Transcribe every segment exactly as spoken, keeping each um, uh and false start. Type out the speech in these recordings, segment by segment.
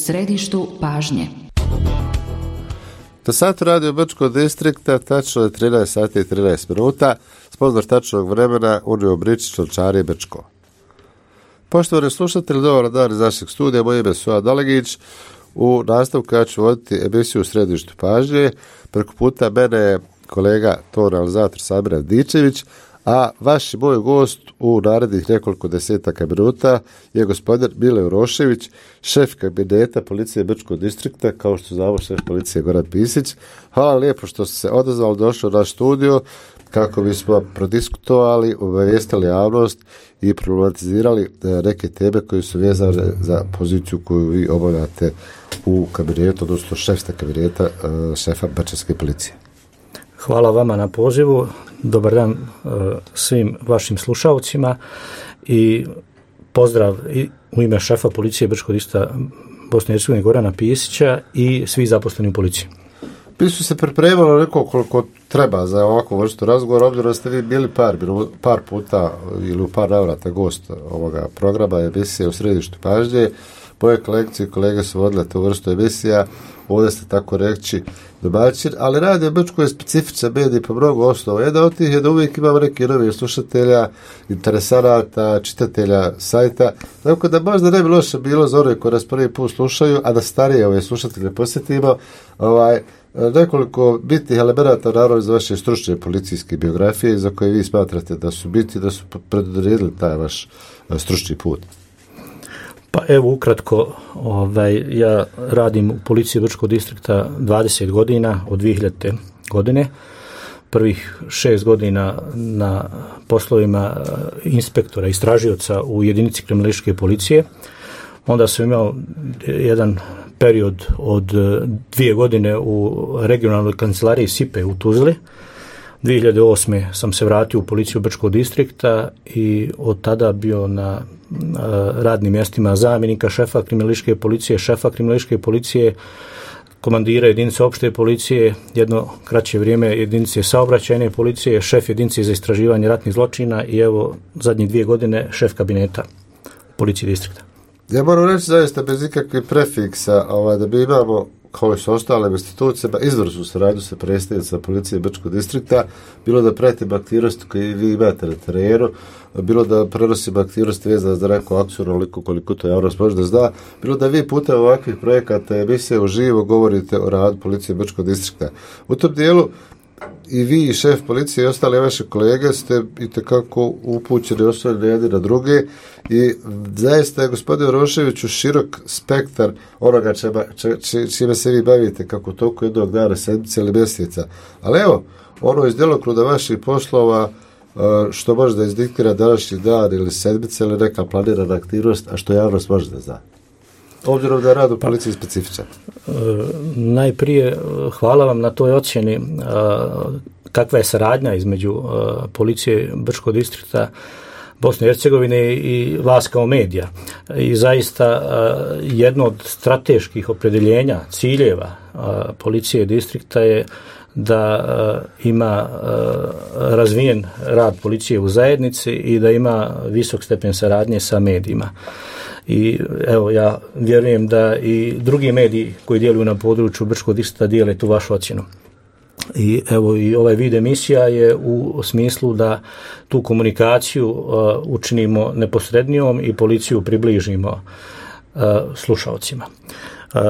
središtu pažnje. Na satu radio Brčkog distrikta tačno je trinaest sati i trinaest minuta, sponzor tačnog vremena Unio Bričić, Lončari Brčko. Poštovani slušatelji, dobar dan iz našeg studija, moje ime je Suad Dalegić. U nastavku ja ću voditi emisiju u središtu pažnje. Preko puta mene je kolega ton realizator Samir Dičević, a vaš i moj gost u narednih nekoliko desetaka minuta je gospodin Mile Urošević, šef kabineta policije Brčkog distrikta, kao što znamo šef policije Goran Pisić. Hvala lijepo što ste se odazvali, došli u naš studio kako bismo prodiskutovali, obavijestili javnost i problematizirali neke teme koje su vezane za poziciju koju vi obavljate u kabinetu, odnosno šefsta kabineta šefa Brčanske policije. Hvala vama na pozivu, dobar dan uh, svim vašim slušalcima i pozdrav i u ime šefa policije Brčkog distrikta Bosne i Hercegovine Gorana Pisića i svi zaposleni u policiji. Mi su se pripremali neko koliko treba za ovakvu vrstu razgovora, obzirom da ste vi bili par, par puta ili u par navrata gost ovoga programa emisije u središtu pažnje. Moje kolegice i kolege su vodile tu vrstu emisija, ovdje ste tako reći domaćin, ali Radio Brčko je specifičan medij po mnogo osnova. Jedan od tih je da uvijek imamo neki novi slušatelja, interesanata, čitatelja sajta, tako da možda ne bi loše bilo za one koji nas prvi put slušaju, a da starije ove slušatelje posjetimo, ovaj, nekoliko bitnih elemenata naravno iz vaše stručne policijske biografije za koje vi smatrate da su biti, da su predodredili taj vaš stručni put. Pa evo ukratko, ovaj, ja radim u policiji Brčkog distrikta dvadeset godina, od dvije hiljadite. godine. Prvih šest godina na poslovima inspektora, istražioca u jedinici kriminalističke policije. Onda sam imao jedan period od dvije godine u regionalnoj kancelariji S I P E u Tuzli. dvije hiljade osme. sam se vratio u policiju Brčkog distrikta i od tada bio na radnim mjestima zamjenika šefa kriminalističke policije, šefa kriminalističke policije, komandira jedinice opšte policije, jedno kraće vrijeme jedinice saobraćajne policije, šef jedinice za istraživanje ratnih zločina i evo zadnje dvije godine šef kabineta policije distrikta. Ja moram reći zaista bez ikakvih prefiksa, ovaj, da bi imamo kao i s ostalim institucijama izvrsnu saradnju sa predstavnicima policije Brčkog distrikta, bilo da pratimo aktivnosti koje vi imate na terenu, bilo da prenosimo aktivnosti vezane za neku akciju onoliko koliko to javnost može da zna, bilo da vi putem ovakvih projekata emisije uživo govorite o radu policije Brčkog distrikta. U tom dijelu i vi i šef policije i ostale vaše kolege ste itekako upućeni osnovni jedni na druge i zaista je gospodin Uroševiću širok spektar onoga čema, če, če, čime se vi bavite kako toliko jednog dana, sedmice ili mjeseca. Ali evo, ono iz djelokruga vaših poslova što može da izdiktira današnji dan ili sedmice ili neka planirana aktivnost, a što javnost može da zna. Obzirom da je rad u policiji specifičan. E, najprije hvala vam na toj ocjeni e, kakva je saradnja između e, policije Brčkog distrikta Bosne i Hercegovine i vas kao medija. I zaista e, jedno od strateških opredjeljenja, ciljeva e, policije distrikta je da e, ima e, razvijen rad policije u zajednici i da ima visok stepen saradnje sa medijima. I evo, ja vjerujem da i drugi mediji koji djeluju na području Brčkog distrikta dijele tu vašu ocjenu. I evo, i ovaj vid emisija je u smislu da tu komunikaciju uh, učinimo neposrednijom i policiju približimo uh, slušalcima. Uh,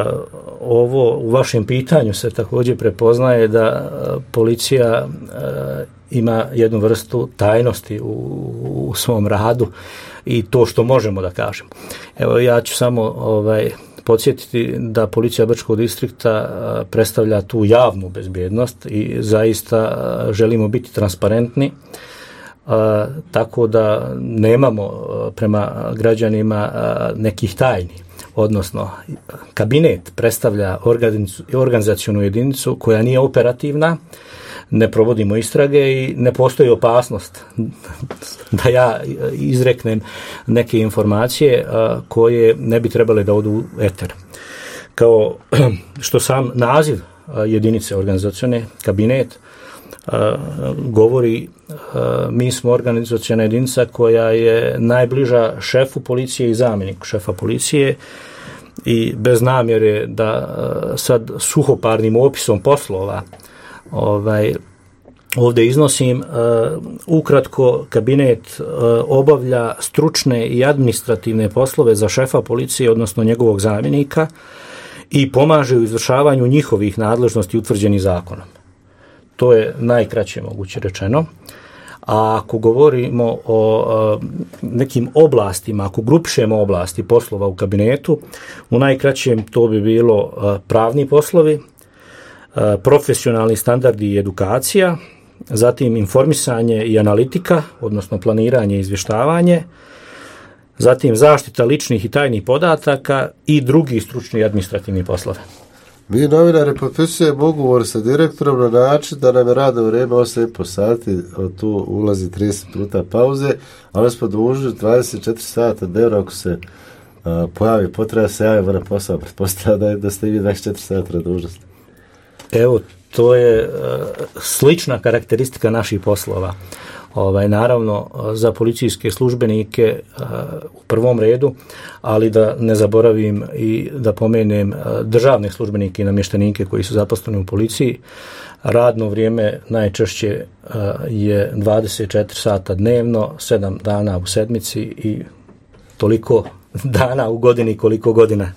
ovo u vašem pitanju se također prepoznaje da uh, policija uh, ima jednu vrstu tajnosti u, u svom radu i to što možemo da kažemo. Evo, ja ću samo ovaj, podsjetiti da policija Brčkog distrikta predstavlja tu javnu bezbjednost i zaista želimo biti transparentni, a, tako da nemamo prema građanima nekih tajni. Odnosno, kabinet predstavlja organizacionu jedinicu koja nije operativna, ne provodimo istrage i ne postoji opasnost da ja izreknem neke informacije a, koje ne bi trebale da odu u eter. Kao što sam naziv a, jedinice organizacione, kabinet, a, govori, a, mi smo organizaciona jedinica koja je najbliža šefu policije i zamjeniku šefa policije i bez namjere da sad suhoparnim opisom poslova ovaj, ovdje iznosim, ukratko kabinet obavlja stručne i administrativne poslove za šefa policije, odnosno njegovog zamjenika, i pomaže u izvršavanju njihovih nadležnosti utvrđenih zakonom. To je najkraće moguće rečeno. A ako govorimo o nekim oblastima, ako grupišemo oblasti poslova u kabinetu, u najkraćem to bi bilo pravni poslovi, profesionalni standardi i edukacija, zatim informisanje i analitika, odnosno planiranje i izvještavanje, zatim zaštita ličnih i tajnih podataka i drugi stručni i administrativni poslovi. Mi novinari potpisujemo ugovor sa direktorom na način da nam je radno vrijeme osam i po sati, od tu ulazi trideset minuta pauze, ali smo dužni dvadeset četiri sata dnevno, ako se uh, pojavi potreba se javi na posao, pretpostavljam da ste i vi dvadeset četiri sata na dužnosti. Evo, to je uh, slična karakteristika naših poslova. Ovaj, naravno, za policijske službenike uh, u prvom redu, ali da ne zaboravim i da pomenem uh, državne službenike i namještenike koji su zaposleni u policiji. Radno vrijeme najčešće uh, je dvadeset četiri sata dnevno, sedam dana u sedmici i toliko dana u godini koliko godina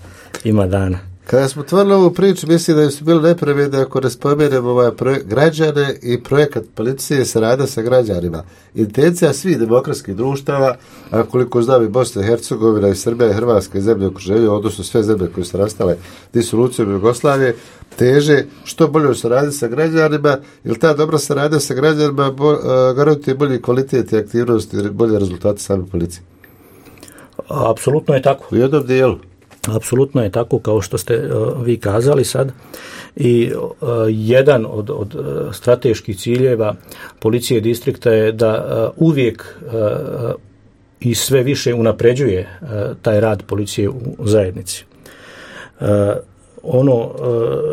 ima dana. Kada smo otvorili ovu priču, mislim da su bili nepravedni ako ne spomenemo ovaj projek- građane i projekat policije saradnja sa građanima. Intencija svih demokratskih društava, a koliko znam i Bosna i Hercegovina i Srbija i Hrvatska i zemlje okruženja, odnosno sve zemlje koje su nastale disolucijom Jugoslavije, teže što bolje saradnje sa građanima, jer ta dobra saradnja sa građanima bo, uh, garantuje bolji kvalitet i aktivnost i bolje rezultate same policije. Apsolutno je tako. U jednom dijelu. Apsolutno je tako kao što ste uh, vi kazali sad i uh, jedan od, od uh, strateških ciljeva policije distrikta je da uh, uvijek uh, i sve više unapređuje uh, taj rad policije u zajednici. Uh, ono uh,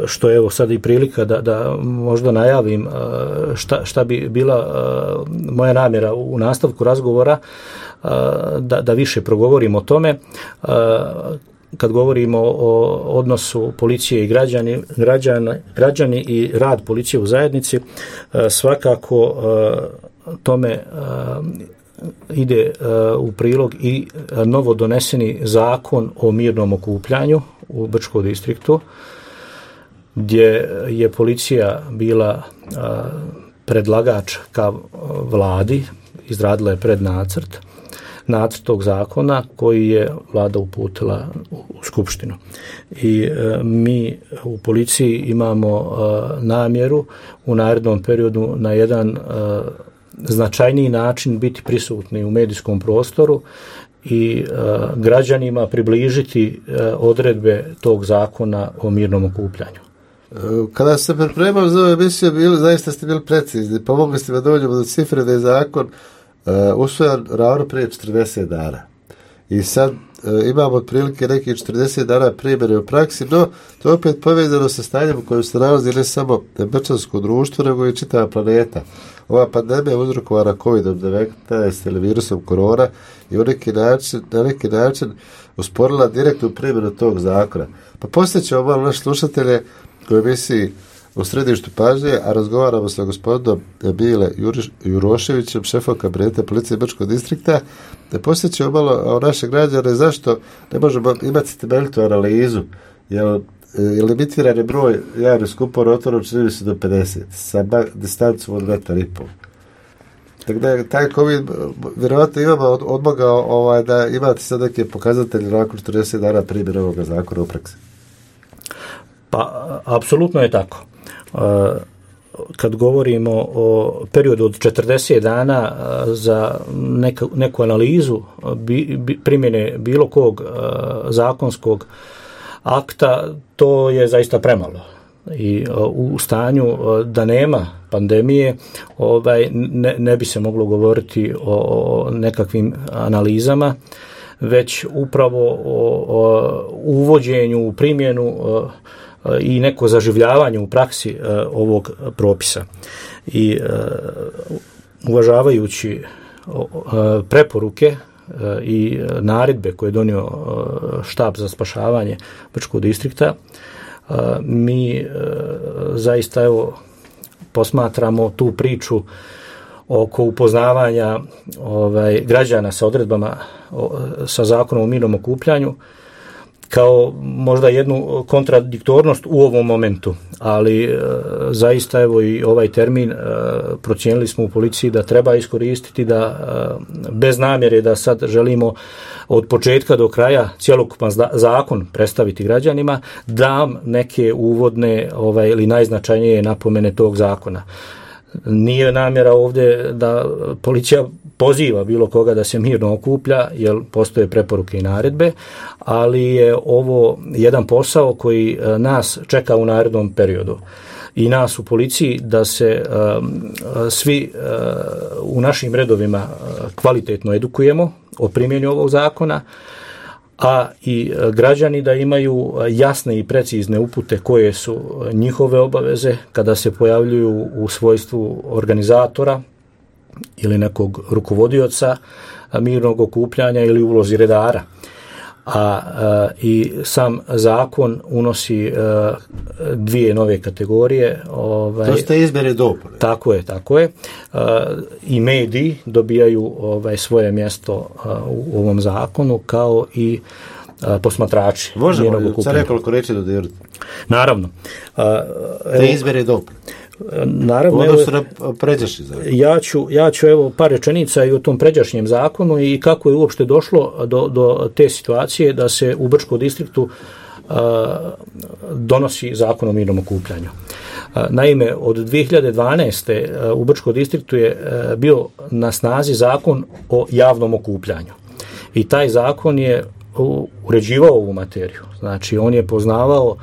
što je evo sad i prilika da, da možda najavim uh, šta, šta bi bila uh, moja namjera u nastavku razgovora, uh, da, da više progovorim o tome. Uh, Kad govorimo o odnosu policije i građani, građani, građani i rad policije u zajednici, svakako tome ide u prilog i novo doneseni zakon o mirnom okupljanju u Brčkom distriktu, gdje je policija bila predlagač ka vladi, izradila je prednacrt nacrt tog zakona koji je vlada uputila u Skupštinu. I e, mi u policiji imamo e, namjeru u narednom periodu na jedan e, značajniji način biti prisutni u medijskom prostoru i e, građanima približiti e, odredbe tog zakona o mirnom okupljanju. Kada se pripremao za ovu emisiju, bili, zaista ste bili precizni. Pomogli ste da dođemo do cifre da je zakon Uh, usvojan ravno prije četrdeset dana. I sad uh, imamo otprilike nekih četrdeset dana primjene u praksi, no to je opet povezano sa stanjem u kojem se nalazi ne samo brčansko društvo, nego i čitava planeta. Ova pandemija je uzrokovana kovid devetnaest ili virusom korona i u neki način, na neki način usporila direktnu primjenu tog zakona. Pa posjećamo malo naše slušatelje koji misli u središtu pažnje, a razgovaramo sa gospodinom Bile Juroševićem, šefom kabineta policije Brčkog distrikta, da posjećamo malo o naše građane zašto ne možemo imati temeljitu analizu, jer je limitirani broj javnih skupova otvoreno čini se do pedeset, sa distancom od metar i pol. Tako da je taj COVID vjerovatno imamo odmogao ovaj, da imate sad neke pokazatelje nakon četrdeset dana primjera ovoga zakona u praksi. Pa, apsolutno je tako. Kad govorimo o periodu od četrdeset dana za neku, neku analizu bi, bi, primjene bilo kog zakonskog akta, to je zaista premalo. I u stanju da nema pandemije, ovaj, ne, ne bi se moglo govoriti o, o nekakvim analizama, već upravo o, o uvođenju u primjenu i neko zaživljavanje u praksi uh, ovog propisa. I uh, uvažavajući uh, preporuke i naredbe koje je donio štab za spašavanje Brčkog distrikta, mi zaista evo posmatramo tu priču oko upoznavanja ovaj, građana sa odredbama o, sa zakonom o mirnom okupljanju kao možda jednu kontradiktornost u ovom momentu, ali e, zaista evo i ovaj termin e, procijenili smo u policiji da treba iskoristiti, da e, bez namjere da sad želimo od početka do kraja cjelokupan zakon predstaviti građanima, dam neke uvodne ovaj, ili najznačajnije napomene tog zakona. Nije namjera ovdje da policija poziva bilo koga da se mirno okuplja, jer postoje preporuke i naredbe, ali je ovo jedan posao koji nas čeka u narednom periodu. I nas u policiji da se um, svi uh, u našim redovima kvalitetno edukujemo o primjeni ovog zakona, a i građani da imaju jasne i precizne upute koje su njihove obaveze kada se pojavljuju u svojstvu organizatora ili nekog rukovodioca mirnog okupljanja ili ulozi redara. A, a i sam zakon unosi a, dvije nove kategorije. Ovaj, to ste izmjene i dopune. Tako je, tako je. A, I mediji dobijaju ovaj, svoje mjesto a, u ovom zakonu, kao i a, posmatrači. Možemo sa nekoliko reći dodirati? Naravno. A, te izmjene i dopune. Naravno, evo, ja ću, ja ću evo par rečenica i o tom pređašnjem zakonu i kako je uopšte došlo do, do te situacije da se u Brčkom distriktu a, donosi zakon o mirnom okupljanju. A, naime, od dvije hiljade dvanaeste. A, u Brčkom distriktu je a, bio na snazi zakon o javnom okupljanju. I taj zakon je uređivao ovu materiju. Znači, on je poznavao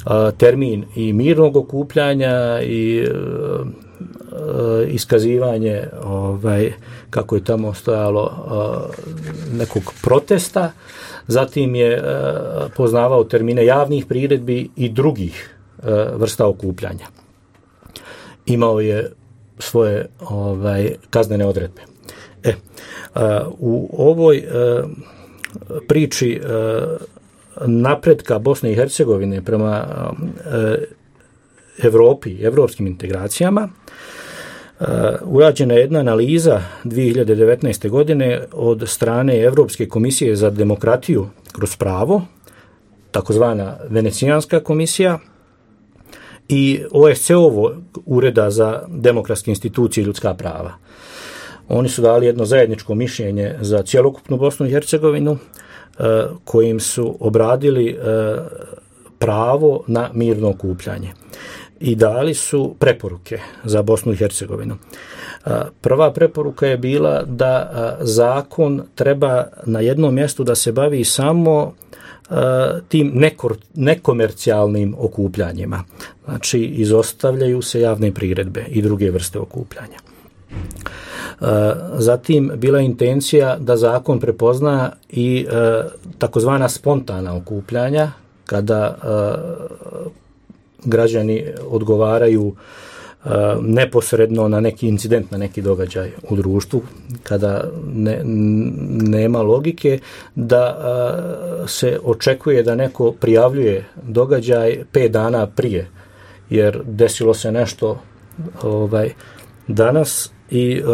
a, termin i mirnog okupljanja i a, a, iskazivanje, ovaj, kako je tamo stojalo, a, nekog protesta. Zatim je a, poznavao termine javnih priredbi i drugih a, vrsta okupljanja. Imao je svoje ovaj, kaznene odredbe. E, a, u ovoj a, priči e, napretka Bosne i Hercegovine prema e, Evropi, evropskim integracijama, e, urađena je jedna analiza dvije hiljade devetnaeste. godine od strane Evropske komisije za demokratiju kroz pravo, takozvana Venecijanska komisija, i O S C E-ovo Ureda za demokratske institucije i ljudska prava. Oni su dali jedno zajedničko mišljenje za cjelokupnu Bosnu i Hercegovinu, kojim su obradili pravo na mirno okupljanje i dali su preporuke za Bosnu i Hercegovinu. Prva preporuka je bila da zakon treba na jednom mjestu da se bavi samo tim nekor, nekomercijalnim okupljanjima. Znači, izostavljaju se javne priredbe i druge vrste okupljanja. Zatim bila je intencija da zakon prepozna i e, takozvana spontana okupljanja, kada e, građani odgovaraju e, neposredno na neki incident, na neki događaj u društvu, kada ne, nema logike da e, se očekuje da neko prijavljuje događaj pet dana prije, jer desilo se nešto ovaj, danas i uh,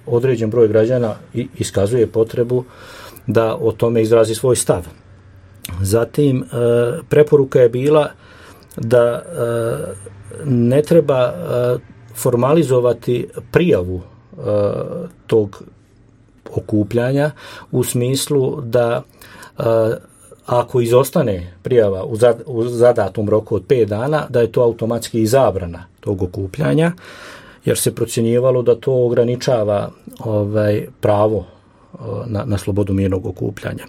određen broj građana iskazuje potrebu da o tome izrazi svoj stav. Zatim, uh, preporuka je bila da uh, ne treba uh, formalizovati prijavu uh, tog okupljanja u smislu da uh, ako izostane prijava u, zad, u zadatom roku od pet dana, da je to automatski i zabrana tog okupljanja, jer se procjenjivalo da to ograničava ovaj, pravo na, na slobodu mirnog okupljanja.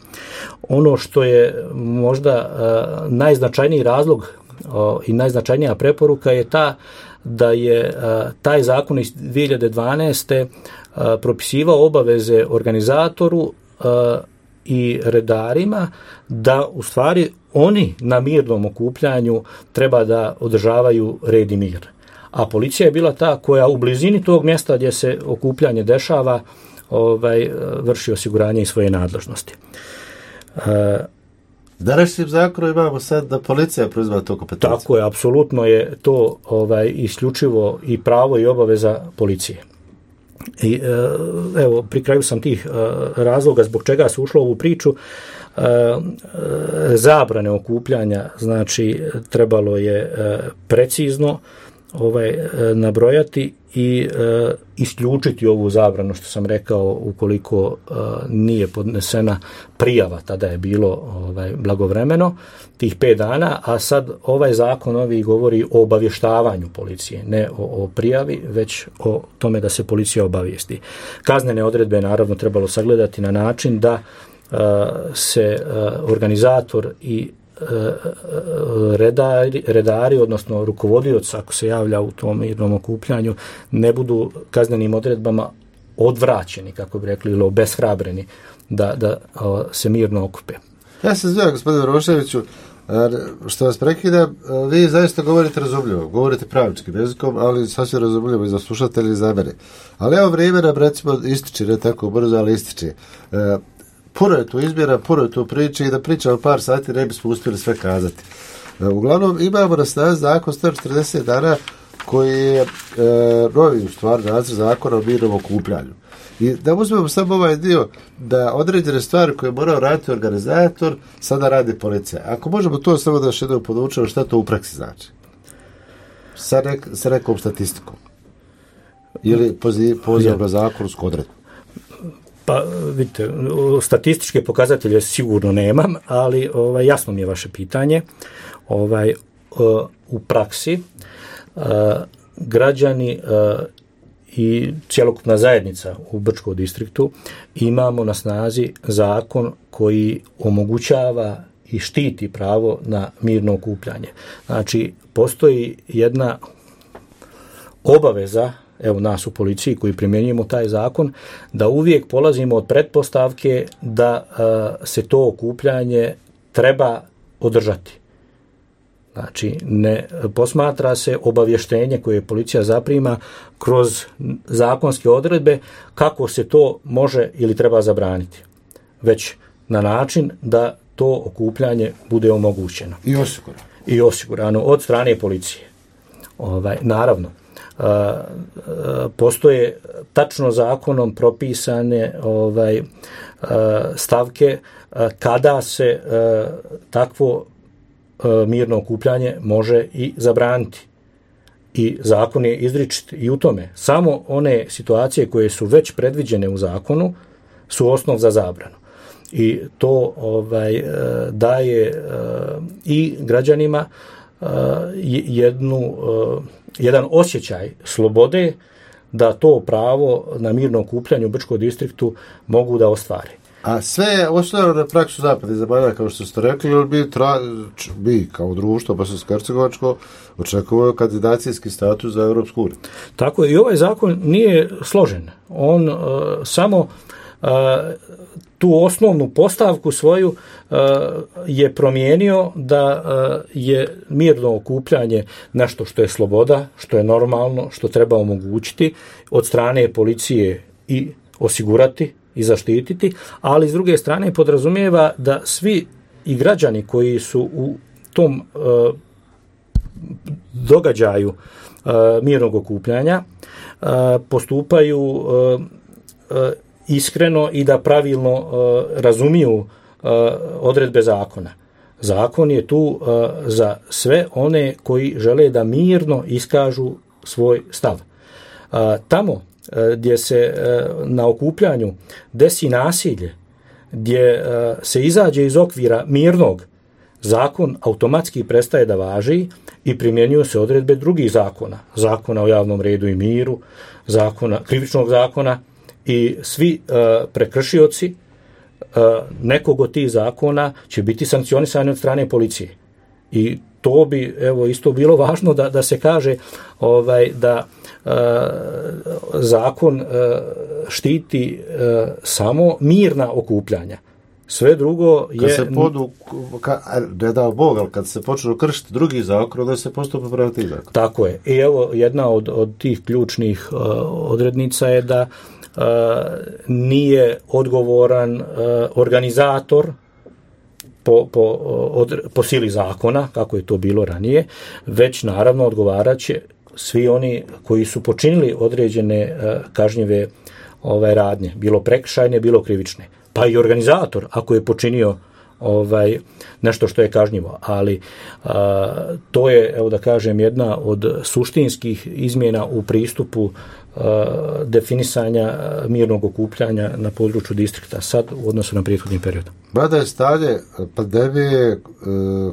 Ono što je možda uh, najznačajniji razlog uh, i najznačajnija preporuka je ta da je uh, taj zakon iz dvije hiljade dvanaeste. Uh, propisivao obaveze organizatoru uh, i redarima da u stvari oni na mirnom okupljanju treba da održavaju red i mir. A policija je bila ta koja u blizini tog mjesta gdje se okupljanje dešava ovaj, vrši osiguranje i svoje nadležnosti. Današnjim zakonom imamo sad da policija preuzima to kompetenciju. Tako je, apsolutno je to ovaj, isključivo i pravo i obaveza policije. I, evo, pri kraju sam tih razloga zbog čega se ušlo u ovu priču. Zabrane okupljanja, znači trebalo je precizno ovaj, nabrojati i uh, isključiti ovu zabranu, što sam rekao, ukoliko uh, nije podnesena prijava, tada je bilo ovaj, blagovremeno, tih pet dana, a sad ovaj zakon ovi govori o obavještavanju policije, ne o, o prijavi, već o tome da se policija obavijesti. Kaznene odredbe naravno trebalo sagledati na način da uh, se uh, organizator i redari, redari, odnosno rukovodioc, ako se javlja u tom mirnom okupljanju, ne budu kaznenim odredbama odvraćeni, kako bi rekli, ili obeshrabreni da, da o, se mirno okupe. Ja se zvijem, gospodine Roševiću, što vas prekida, vi zaista govorite razumljivo, govorite pravičkim jezikom, ali sasvim razumljivo i za slušatelji i za mene. Ali evo vrijeme nam recimo ističe, ne tako brzo, ali ističe. E, Puno je tu izmjera, puno je tu priče i da pričamo par sati ne bismo uspjeli sve kazati. E, uglavnom imamo na snazi zakon sto četrdeset dana koji je e, novi u stvari nacrt zakona o mirnom okupljanju. I da uzmemo samo ovaj dio da određene stvari koje je morao raditi organizator sada radi policija. Ako možemo to samo da još jednom podučemo šta to u praksi znači. Sa, nek, sa nekom statistikom. Ili poziv, poziv na zakonsku odredbu. Pa, vidite, statističke pokazatelje sigurno nemam, ali ovaj, jasno mi je vaše pitanje. Ovaj, u praksi građani i cjelokupna zajednica u Brčkom distriktu imamo na snazi zakon koji omogućava i štiti pravo na mirno okupljanje. Znači, postoji jedna obaveza, evo nas u policiji koji primjenjujemo taj zakon, da uvijek polazimo od pretpostavke da uh, se to okupljanje treba održati. Znači, ne posmatra se obavještenje koje policija zaprima kroz zakonske odredbe kako se to može ili treba zabraniti, već na način da to okupljanje bude omogućeno. I osigurano. I osigurano od strane policije. Ovaj, naravno, Uh, uh, postoje tačno zakonom propisane ovaj, uh, stavke uh, kada se uh, takvo uh, mirno okupljanje može i zabraniti. I zakon je izričit i u tome. Samo one situacije koje su već predviđene u zakonu su osnov za zabranu. I to ovaj, uh, daje uh, i građanima uh, jednu uh, jedan osjećaj slobode da to pravo na mirno okupljanje u Brčkom distriktu mogu da ostvare. A sve je osnovno na praksu zapadnih zemalja, kao što ste rekli, ili bi, tra, bi kao društvo bosansko-hercegovačko očekuvao kandidacijski status za Europsku uniju? Tako je, i ovaj zakon nije složen. On uh, samo uh, tu osnovnu postavku svoju uh, je promijenio da uh, je mirno okupljanje nešto što je sloboda, što je normalno, što treba omogućiti od strane policije i osigurati i zaštititi, ali s druge strane podrazumijeva da svi i građani koji su u tom uh, događaju uh, mirnog okupljanja uh, postupaju uh, uh, iskreno i da pravilno uh, razumiju uh, odredbe zakona. Zakon je tu uh, za sve one koji žele da mirno iskažu svoj stav. Uh, tamo uh, gdje se uh, na okupljanju desi nasilje, gdje uh, se izađe iz okvira mirnog, zakon automatski prestaje da važi i primjenjuju se odredbe drugih zakona. Zakona o javnom redu i miru, zakona, krivičnog zakona, i svi uh, prekršioci uh, nekog od tih zakona će biti sankcionisani od strane policije. I to bi, evo, isto bilo važno da, da se kaže ovaj, da uh, zakon uh, štiti uh, samo mirna okupljanja. Sve drugo je... Kad se podu, ka, ne dao Bog, ali kad se počnu kršiti drugi zakon, onda se postupa prema tih zakon. Tako je. I evo, jedna od, od tih ključnih uh, odrednica je da uh, nije odgovoran uh, organizator po, po, od, po sili zakona, kako je to bilo ranije, već naravno odgovarat će svi oni koji su počinili određene uh, kažnjive ovaj, radnje, bilo prekršajne, bilo krivične. Pa i organizator, ako je počinio ovaj, nešto što je kažnjivo. Ali a, to je, evo da kažem, jedna od suštinskih izmjena u pristupu a, definisanja mirnog okupljanja na području distrikta sad u odnosu na prethodni period. Mada je stanje pandemije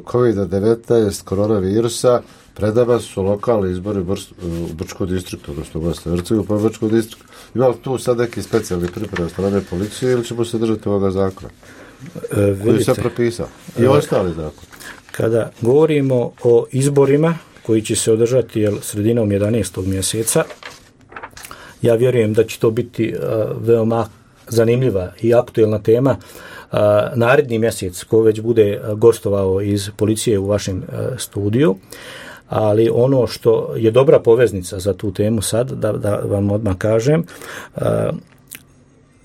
kovid devetnaest koronavirusa, pred nama su lokalni izbori u Brčkom distriktu, odnosno u Bosni i Hercegovini, pa u Brčkom distriktu. Ima li tu sad neki specijalni priprema strane policije ili ćemo se držati ovoga zakona? E, koji se propisao? I e, ostali zakon. Kada govorimo o izborima koji će se održati jel, sredinom jedanaestog mjeseca, ja vjerujem da će to biti uh, veoma zanimljiva i aktuelna tema. Uh, naredni mjesec, ko već bude gostovao iz policije u vašem uh, studiju, ali ono što je dobra poveznica za tu temu sad, da, da vam odmah kažem, uh,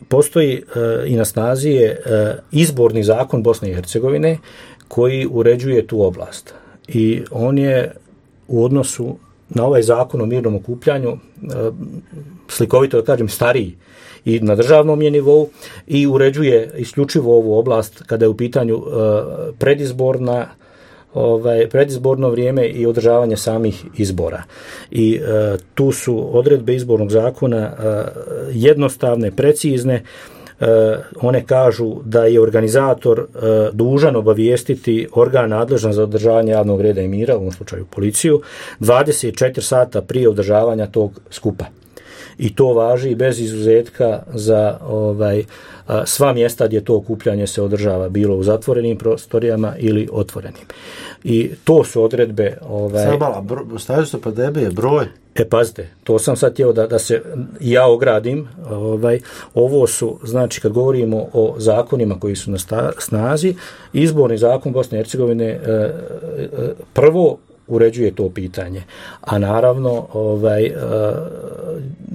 postoji uh, i na snazi je uh, izborni zakon Bosne i Hercegovine koji uređuje tu oblast. I on je u odnosu na ovaj zakon o mirnom okupljanju uh, slikovito da kažem stariji i na državnom je nivou i uređuje isključivo ovu oblast kada je u pitanju uh, predizborna ovaj, predizborno vrijeme i održavanje samih izbora. I uh, tu su odredbe izbornog zakona uh, jednostavne, precizne. Uh, one kažu da je organizator uh, dužan obavijestiti organ nadležan za održavanje javnog reda i mira, u ovom slučaju policiju, dvadeset četiri sata prije održavanja tog skupa. I to važi bez izuzetka za ovaj, sva mjesta gdje to okupljanje se održava, bilo u zatvorenim prostorijama ili otvorenim. I to su odredbe... Ovaj, Sada mala, stavio se pandemije, broj? E, pazite, to sam sad htio da, da se ja ogradim. Ovaj, ovo su, znači, kad govorimo o zakonima koji su na snazi, izborni zakon Bosne i Hercegovine e, e, prvo uređuje to pitanje. A naravno, ovaj,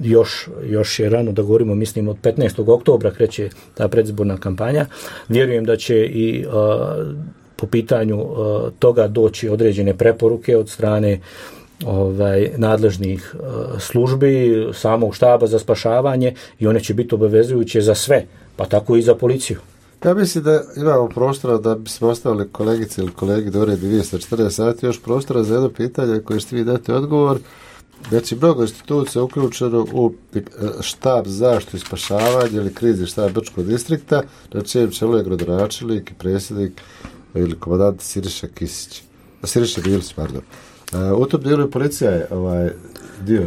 još, još je rano da govorimo, mislim, od petnaestog oktobra kreće ta predizborna kampanja. Vjerujem da će i po pitanju toga doći određene preporuke od strane ovaj, nadležnih službi, samog štaba za spašavanje i one će biti obavezujuće za sve, pa tako i za policiju. Ja mislim da imamo prostora da bismo ostavili kolegice ili kolegi do red dvjesto četrdeset sati, još prostora za jedno pitanje koje ćete vi dati odgovor. Znači, mnogo institucija uključeno u štab zaštitu i spašavanje ili krizni štab Brčkog distrikta, na čijem čelu je gradonačelnik i predsjednik ili komandant Siriša Kisić. Siriša Bilić, pardon. U tom dijelu policija je ovaj, dio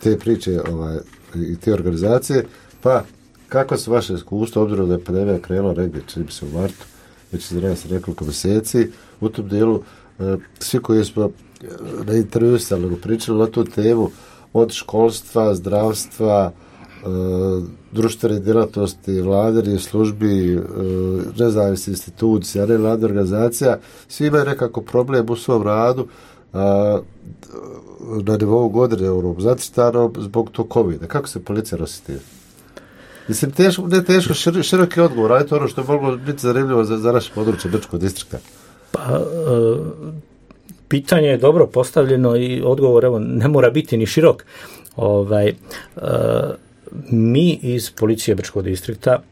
te priče ovaj, i te organizacije, pa kako su vaše iskustvo, obzirom da je pandemija krenula negdje, čini se u martu, već se zna se nekoliko mjeseci, u tom dijelu svi koji smo na intervju stavljeno pričali na tu temu, od školstva, zdravstva, društvene djelatnosti, vladinih službi, nezavisnih institucija, nevladnih organizacija, svi imaju nekako problem u svom radu na nivou godine zacrtano zbog tog covida. Kako se policija nosi tim? Mislim, teško, ne teško, šir, široki odgovor, ali to ono što je moglo biti zanimljivo za, za naše područje Brčkog distrikta. Pa, e, pitanje je dobro postavljeno i odgovor, evo, ne mora biti ni širok. Ovaj, e, mi iz policije Brčkog distrikta, e,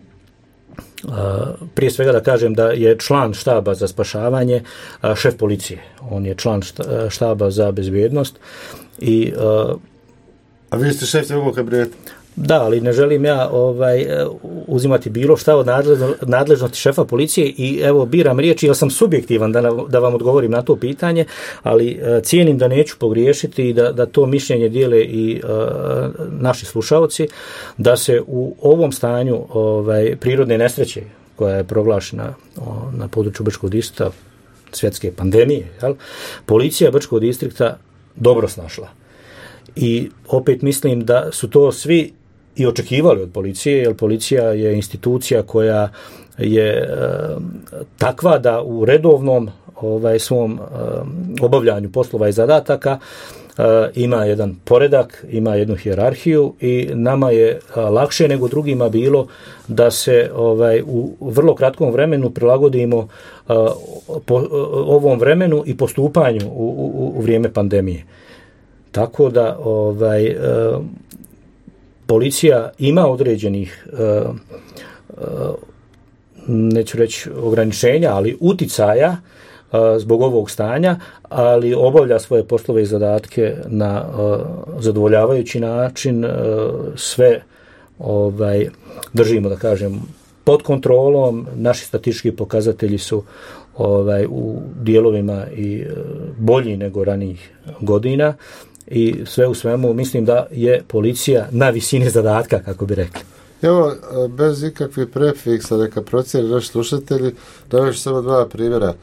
prije svega da kažem da je član štaba za spašavanje a, šef policije. On je član štaba za bezbjednost. I, e, A vi ste šef ovog kabineta? Da, ali ne želim ja ovaj, uzimati bilo šta od nadležnosti šefa policije i evo biram riječi, jer sam subjektivan da, da vam odgovorim na to pitanje, ali cijenim da neću pogriješiti i da, da to mišljenje dijele i uh, naši slušalci, da se u ovom stanju ovaj, prirodne nesreće koja je proglašena o, na području Brčkog distrikta, svjetske pandemije, jel, policija Brčkog distrikta dobro snašla. I opet mislim da su to svi i očekivali od policije, jer policija je institucija koja je e, takva da u redovnom ovaj, svom e, obavljanju poslova i zadataka e, ima jedan poredak, ima jednu hijerarhiju i nama je a, lakše nego drugima bilo da se ovaj, u vrlo kratkom vremenu prilagodimo a, po, a, ovom vremenu i postupanju u, u, u vrijeme pandemije. Tako da ovaj, e, policija ima određenih e, e, neću reći ograničenja, ali uticaja a, zbog ovog stanja, ali obavlja svoje poslove i zadatke na a, zadovoljavajući način, a, sve ovaj, držimo, da kažem, pod kontrolom, naši statistički pokazatelji su ovaj, u dijelovima i a, bolji nego ranijih godina i sve u svemu mislim da je policija na visini zadatka, kako bi rekli. Evo, bez ikakvih prefiksa, neka procijeni naši slušatelji, da ću samo dva primjera.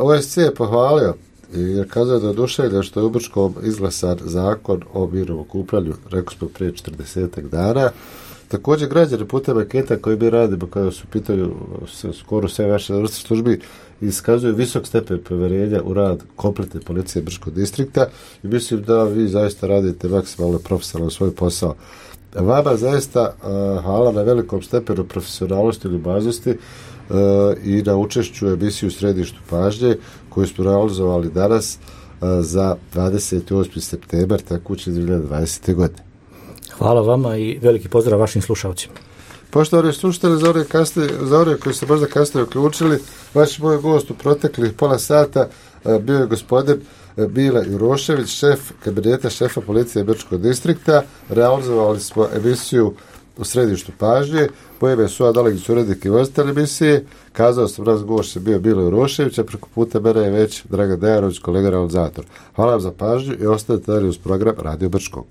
O S C je pohvalio i kazao da je oduševljen što je u Brčkom izglasan zakon o mirnom okupljanju, rekao smo prije četrdesetak dana. Također građani putem anketa koji mi radimo, kada su pitaju skoro sve vaše vrste službi, iskazuju visok stepen povjerenja u rad kompletne policije Brčkog distrikta i mislim da vi zaista radite maksimalno profesionalno svoj posao. Vama zaista uh, hvala na velikom stepenu profesionalnosti i ljubaznosti uh, i na učešću u emisiju Središtu pažnje koju smo realizovali danas uh, za dvadeset osmi septembar tekuće dvije hiljade dvadesete. godine. Hvala vama i veliki pozdrav vašim slušalcima. Poštovani slušatelji, za one, kasnije, za one koji se možda kasnije uključili, vaš moj gost u proteklih pola sata uh, bio je gospodin Mile Jurošević, šef kabineta šefa policije Brčkog distrikta. Realizovali smo emisiju u Središtu pažnje. Po ime su Adalegić, urednik i voditelj emisije. Kazao sam, raz gošće bio Mile Jurošević, a preko puta mene je već Dragan Dejanović, kolega realizator. Hvala vam za pažnju i ostanite dalje uz program Radio Brčkog.